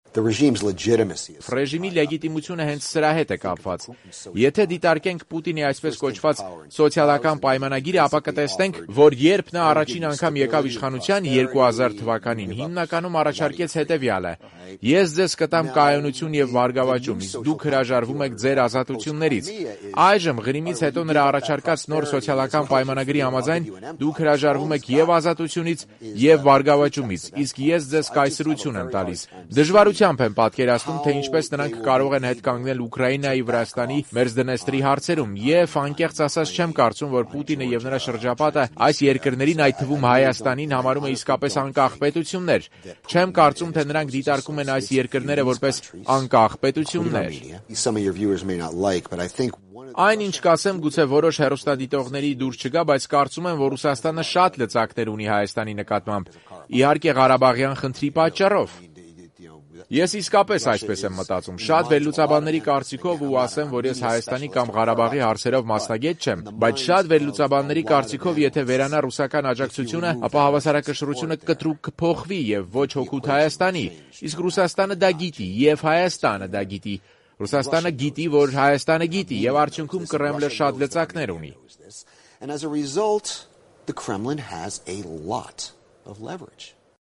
Ռեժիմի լեգիտիմությունը հենց սրա հետ է կապված։ Եթե դիտարկենք Պուտինի այսպես կոչված սոցիալական պայմանագիրը, ապա կտեսնենք, որ երբ նա առաջին անգամ եկավ իշխանության 2000 թվականին, հիմնականում առաջարկեց հետևյալը. ես ձեզ կտամ կայունություն եւ բարգավաճում, իսկ դուք հրաժարվում եք ձեր ազատություններից։ Այժմ Ղրիմից հետո նրա առաջարկած նոր սոցիալական պայմանագրի համաձայն դուք հրաժարվում եք եւ ազատությունից եւ բարգավաճումից, իսկ ես ձեզ կայսրություն եմ տալիս։ Դժվարությամբ եմ պատկերացնում, թե ինչպես նրանք կարող են հետ կանգնել Ուկրաինայի, Վրաստանի, Մերձդնեստրի հարցերում, եւ անկեղծ ասած չեմ կարծում, որ Պուտինը եւ նրա շրջապատը այս երկրներին, այդ թվում Հայաստանին, համարում է իսկապես անկախ պետություններ։ Չեմ կարծում, թե նրանք դիտարկում են այս երկրները որպես անկախ պետություններ։ Այն ինչ կասեմ, գուցե որոշ հեռուստադիտողների դուր չգա, բայց կարծում եմ, որ Ռուսաստանը շատ լծակներ ունի Հայաստանի նկատմամբ, իհարկե Ղարաբաղյան խնդրի պատճառով։ Ես իսկապես այսպես եմ մտածում։ Շատ վերլուծաբանների կարծիքով, ու ասեմ, որ ես Հայաստանի կամ Ղարաբաղի հարցերով մասնագետ չեմ, բայց շատ վերլուծաբանների կարծիքով, եթե վերանա ռուսական աջակցությունը, ապա հավասարակշռությունը կտրուկ կփոխվի եւ ոչ հօգուտ Հայաստանի։ Իսկ Ռուսաստանը դա գիտի եւ Հայաստանը դա գիտի։ Ռուսաստանը գիտի, որ Հայաստանը գիտի եւ արդյունքում Կրեմլը շատ լծակներ ունի։ And as a result, the Kremlin has a lot of leverage.